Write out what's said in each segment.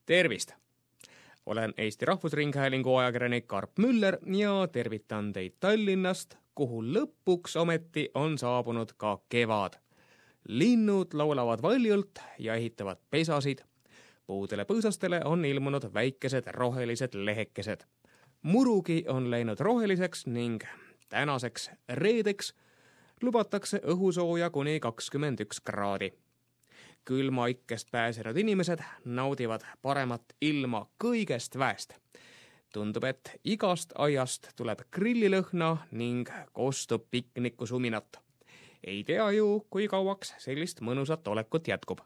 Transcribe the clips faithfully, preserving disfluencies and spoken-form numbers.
Tervist! Olen Eesti Rahvusringhäälingu ajakirjanik Karp Müller ja tervitan teid Tallinnast, kuhu lõpuks ometi on saabunud ka kevad. Linnud laulavad valjult ja ehitavad pesasid. Puudele põõsastele on ilmunud väikesed rohelised lehekesed. Murugi on läinud roheliseks ning tänaseks reedeks lubatakse õhusooja kuni kakskümmend üks kraadi. Külma ikkest pääsenud inimesed naudivad paremat ilma kõigest väest. Tundub, et igast aiast tuleb grillilõhna ning kostub pikniku suminat. Ei tea ju, kui kauaks sellist mõnusat olekut jätkub.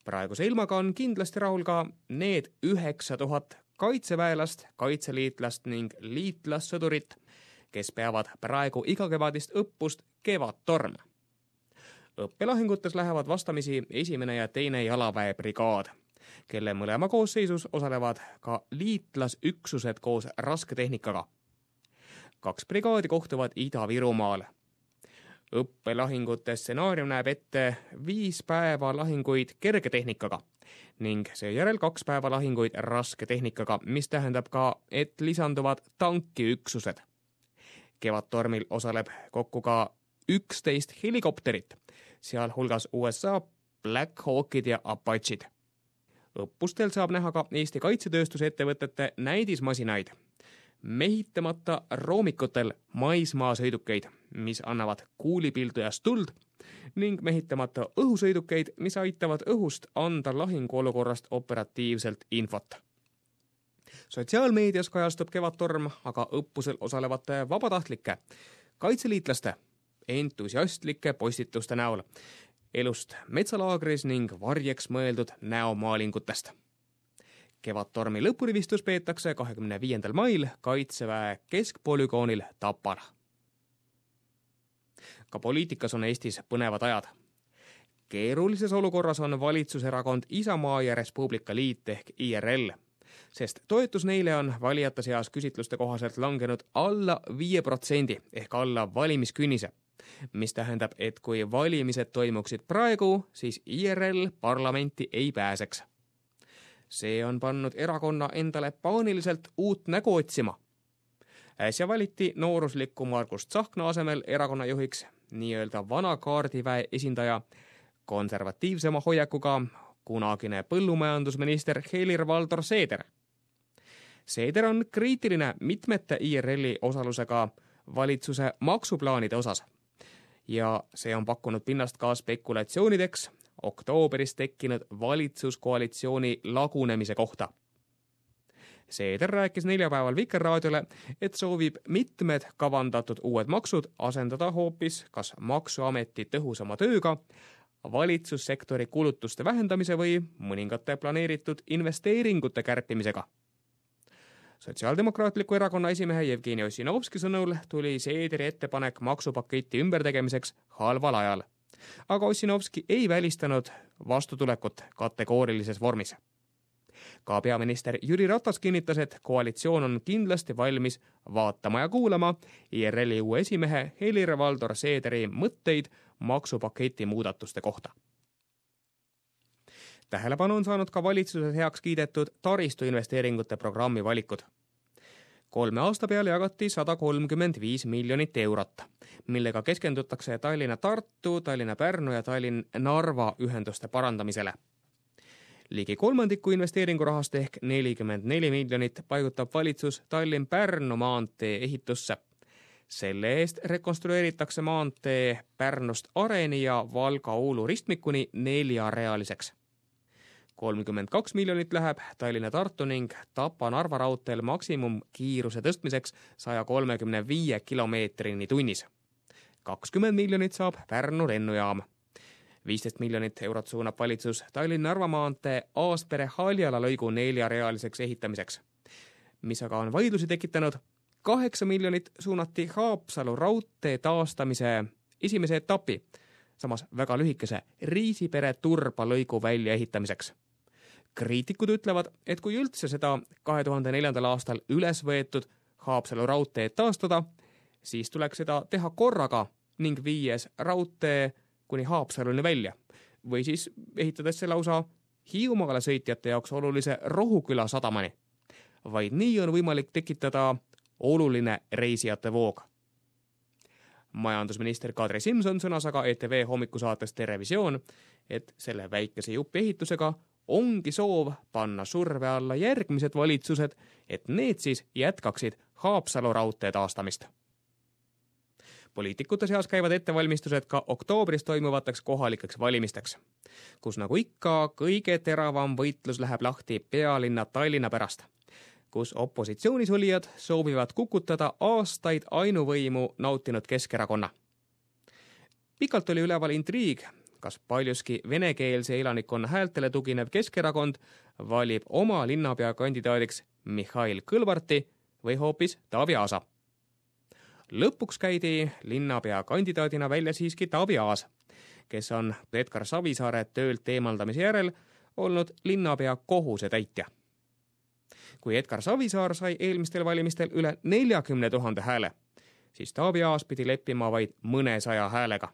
Praeguse ilmaga on kindlasti rahul ka need üheksa tuhat kaitseväelast, kaitseliitlast ning liitlassõdurit, kes peavad praegu igakevadist õppust Kevadtorm. Õppelahingutes lähevad vastamisi esimene ja teine jalaväebrigaad, kelle mõlema koosseisus osalevad ka liitlasüksused koos rasketehnikaga. Kaks brigaadi kohtuvad Ida-Virumaal. Õppelahingute stsenaarium näeb ette viis päeva lahinguid kergetehnikaga ning seejärel kaks päeva lahinguid rasketehnikaga, mis tähendab ka, et lisanduvad tankiüksused. Kevadtormil osaleb kokku ka üksteist helikopterit, sealhulgas U S A Black Hawkid ja Apachid. Õppustel saab näha ka Eesti kaitsetööstuse ettevõtete näidismasinaid, mehitamata roomikutel maismaasõidukeid, mis annavad kuulipildujast tuld, ning mehitamata õhusõidukeid, mis aitavad õhust anda lahinguolukorrast operatiivselt infot. Sotsiaalmeedias kajastub Kevadtorm aga õppusel osalevate vabatahtlike, kaitseliitlaste, entusiastlike postituste näol, elust metsalaagris ning varjeks mõeldud näomaalingutest. Kevadtormi lõpurivistus peetakse kahekümne viiendal mail Kaitseväe keskpolügoonil Tapal. Ka poliitikas on Eestis põnevad ajad. Keerulises olukorras on valitsuserakond Isamaa ja Res Publica Liit ehk I R L, sest toetus neile on valijate seas küsitluste kohaselt langenud alla viie protsendi ehk alla valimiskünnise, mis tähendab, et kui valimised toimuksid praegu, siis I R L parlamenti ei pääseks. See on pannud erakonna endale paaniliselt uut nägu otsima. Äsja valiti noorusliku Margus Tsahkna asemel erakonna juhiks nii-öelda vana kaardiväe esindaja, konservatiivsema hoiakuga kunagine põllumajandusminister Helir-Valdor Seeder. Seeder on kriitiline mitmete I R L-i osalusega valitsuse maksuplaanide osas ja see on pakkunud pinnast ka spekulatsioonideks oktooberis tekkinud valitsuskoalitsiooni lagunemise kohta. Seeder rääkis neljapäeval Vikerraadiole, et soovib mitmed kavandatud uued maksud asendada hoopis kas Maksuameti tõhusama tööga, valitsussektori kulutuste vähendamise või mõningate planeeritud investeeringute kärpimisega. Sotsiaaldemokraatliku erakonna esimehe Jevgeni Ossinovski sõnul tuli Seederi ettepanek maksupaketi ümbertegemiseks halval ajal, aga Ossinovski ei välistanud vastutulekut kategoorilises vormis. Ka peaminister Jüri Ratas kinnitas, et koalitsioon on kindlasti valmis vaatama ja kuulama I R L-i uue esimehe Helir-Valdor Seederi mõtteid maksupaketi muudatuste kohta. Tähelepanu on saanud ka valitsuses heaks kiidetud taristuinvesteeringute programmi valikud. Kolme aasta peale jagati sada kolmkümmend viis miljonit eurot, millega keskendutakse Tallinna-Tartu, Tallinna-Pärnu ja Tallinn-Narva ühenduste parandamisele. Ligi kolmandiku investeeringurahast ehk nelikümmend neli miljonit paigutab valitsus Tallinn-Pärnu maantee ehitusse. Selle eest rekonstrueeritakse maantee Pärnust Areni ja Valga-Uulu ristmikuni neljarealiseks. kolmkümmend kaks miljonit läheb Tallinna-Tartu ning Tapa-Narva raudteel maksimumkiiruse tõstmiseks saja kolmekümne viie kilomeetrini tunnis. kakskümmend miljonit saab Pärnu lennujaam. viisteist miljonit eurot suunab valitsus Tallinn-Narva maantee Aaspere-Haljala lõigu neljarealiseks ehitamiseks, mis aga on vaidlusi tekitanud. kaheksa miljonit suunati Haapsalu raudtee taastamise esimese etapi, samas väga lühikese Riisipere-Turba lõigu väljaehitamiseks. Kriitikud ütlevad, et kui üldse seda kahe tuhande neljandal aastal üles võetud Haapsalu raudteed taastada, siis tuleks seda teha korraga ning viies raudtee kuni Haapsaluni välja või siis ehitades see lausa Hiiumaale sõitjate jaoks olulise Rohuküla sadamani. Vaid nii on võimalik tekitada oluline reisijate voog. Majandusminister Kadri Simson sõnas aga E T V hommikusaates Terevisioon, et selle väikese jupi ehitusega ongi soov panna surve alla järgmised valitsused, et need siis jätkaksid Haapsalu raudtee taastamist. Poliitikute seas käivad ettevalmistused ka oktoobris toimuvateks kohalikeks valimisteks, kus nagu ikka kõige teravam võitlus läheb lahti pealinna Tallinna pärast, kus opositsioonis olijad soovivad kukutada aastaid ainuvõimu nautinud Keskerakonna. Pikalt oli üleval intriig, kas paljuski venekeelse elanikkonna häältele tuginev Keskerakond valib oma linnapea kandidaadiks Mihhail Kõlvarti või hoopis Taavi Aasa. Lõpuks käidi linnapea kandidaadina välja siiski Taavi Aas, kes on Edgar Savisaare töölt eemaldamise järel olnud linnapea kohusetäitja. Kui Edgar Savisaar sai eelmistel valimistel üle neljakümne tuhande hääle, siis Taavi Aas pidi leppima vaid mõnesaja häälega.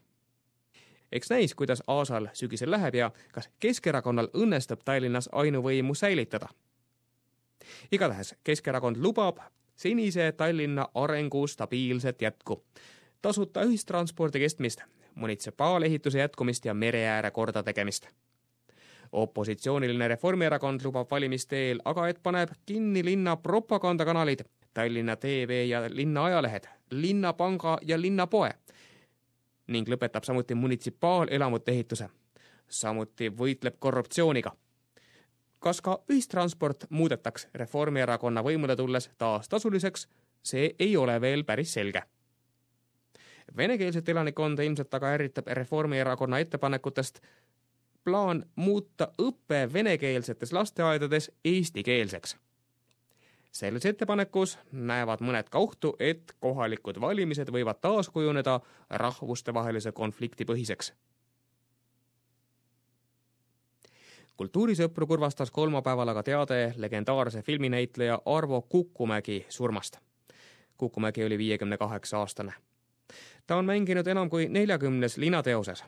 Eks näis, kuidas Aasal sügisel läheb ja kas Keskerakonnal õnnestub Tallinnas ainuvõimu säilitada. Igatahes Keskerakond lubab senise Tallinna arengu stabiilset jätku, tasuta ühistranspordi kestmist, munitsipaalehituse jätkumist ja mereääre korda tegemist. Opositsiooniline Reformierakond lubab valimiste eel aga, et paneb kinni linna propagandakanalid, Tallinna T V ja linna ajalehed, linnapanga ja linnapoe ning lõpetab samuti munitsipaalelamute ehituse. Samuti võitleb korruptsiooniga. Kas ka ühistransport muudetaks Reformierakonna võimule tulles taas tasuliseks, see ei ole veel päris selge. Venekeelset elanikkonda ilmselt aga ärritab Reformierakonna ettepanekutest plaan muuta õppe venekeelsetes lasteaedades eestikeelseks. Selles ettepanekus näevad mõned ka ohtu, et kohalikud valimised võivad taas kujuneda rahvustevahelise konflikti põhiseks. Kultuurisõpru kurvastas kolmapäeval aga teade legendaarse filminäitleja Arvo Kukumägi surmast. Kukumägi oli viiekümne kaheksa aastane. Ta on mänginud enam kui neljakümnes linateoses.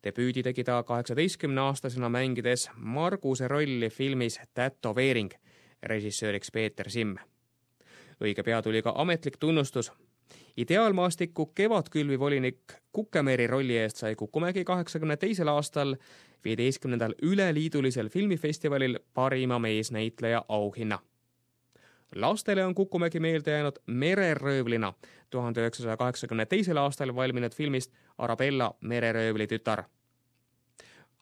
Debüüdi tegi ta kaheksateistkümne aastasena mängides Marguse rolli filmis Tätoveering, režissööriks Peeter Simm. Õige pea tuli ka ametlik tunnustus. Ideaalmaastiku kevadkülvi volinik Kukemeeri rolli eest sai Kukumägi kaheksakümne teisel aastal viieteistkümnendal üleliidulisel filmifestivalil parima meesnäitleja auhinna. Lastele on Kukumägi meelde jäänud Mereröövlina tuhande üheksasaja kaheksakümne teisel aastal valminud filmist Arabella mereröövli tütar.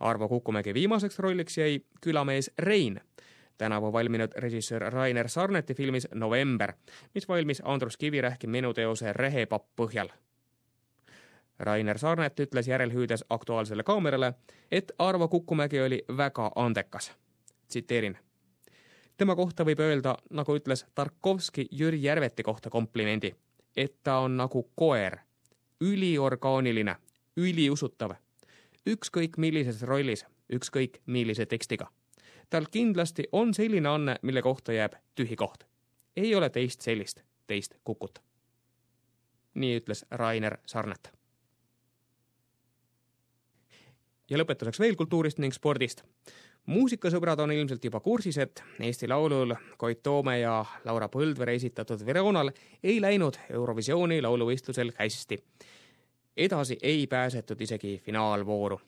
Arvo Kukumägi viimaseks rolliks jäi külamees Rein, tänavu valminud režissöör Rainer Sarneti filmis November, mis valmis Andrus Kivirähki menuteose Rehepapp põhjal. Rainer Sarnet ütles järelhüüdes Aktuaalsele kaamerale, et Arvo Kukumägi oli väga andekas. Tsiteerin. Tema kohta võib öelda, nagu ütles Tarkovski Jüri Järveti kohta komplimendi, et ta on nagu koer, üliorgaaniline, üliusutav, ükskõik millises rollis, ükskõik millise tekstiga. Tal kindlasti on selline anne, mille kohta jääb tühi koht. Ei ole teist sellist, teist Kukut. Nii ütles Rainer Sarnet. Ja lõpetuseks veel kultuurist ning spordist. Muusikasõbrad on ilmselt juba kursis, et Eesti Laulul Koit Toome ja Laura Põldvere esitatud Veronal ei läinud Eurovisiooni lauluvõistlusel hästi. Edasi ei pääsetud isegi finaalvooru.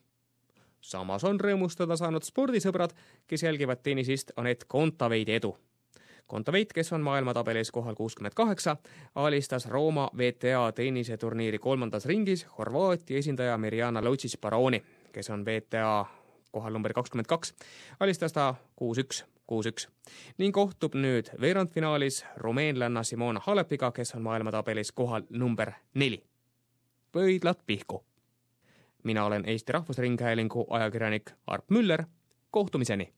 Samas on rõõmustada saanud spordisõbrad, kes jälgivad tennisist Anett Kontaveidi edu. Kontaveit, kes on maailmatabelis kohal kuuskümmend kaheksa, alistas Rooma V T A tenniseturniiri kolmandas ringis Horvaatia esindaja Mirjana Lucic-Baroni, kes on V T A kohal number kakskümmend kaks, alistas ta kuus üks, kuus üks ning kohtub nüüd veerandfinaalis rumeenlanna Simona Halepiga, kes on maailmatabelis kohal number neli. Pöidlad pihku. Mina olen Eesti Rahvusringhäälingu ajakirjanik Arp Müller. Kohtumiseni!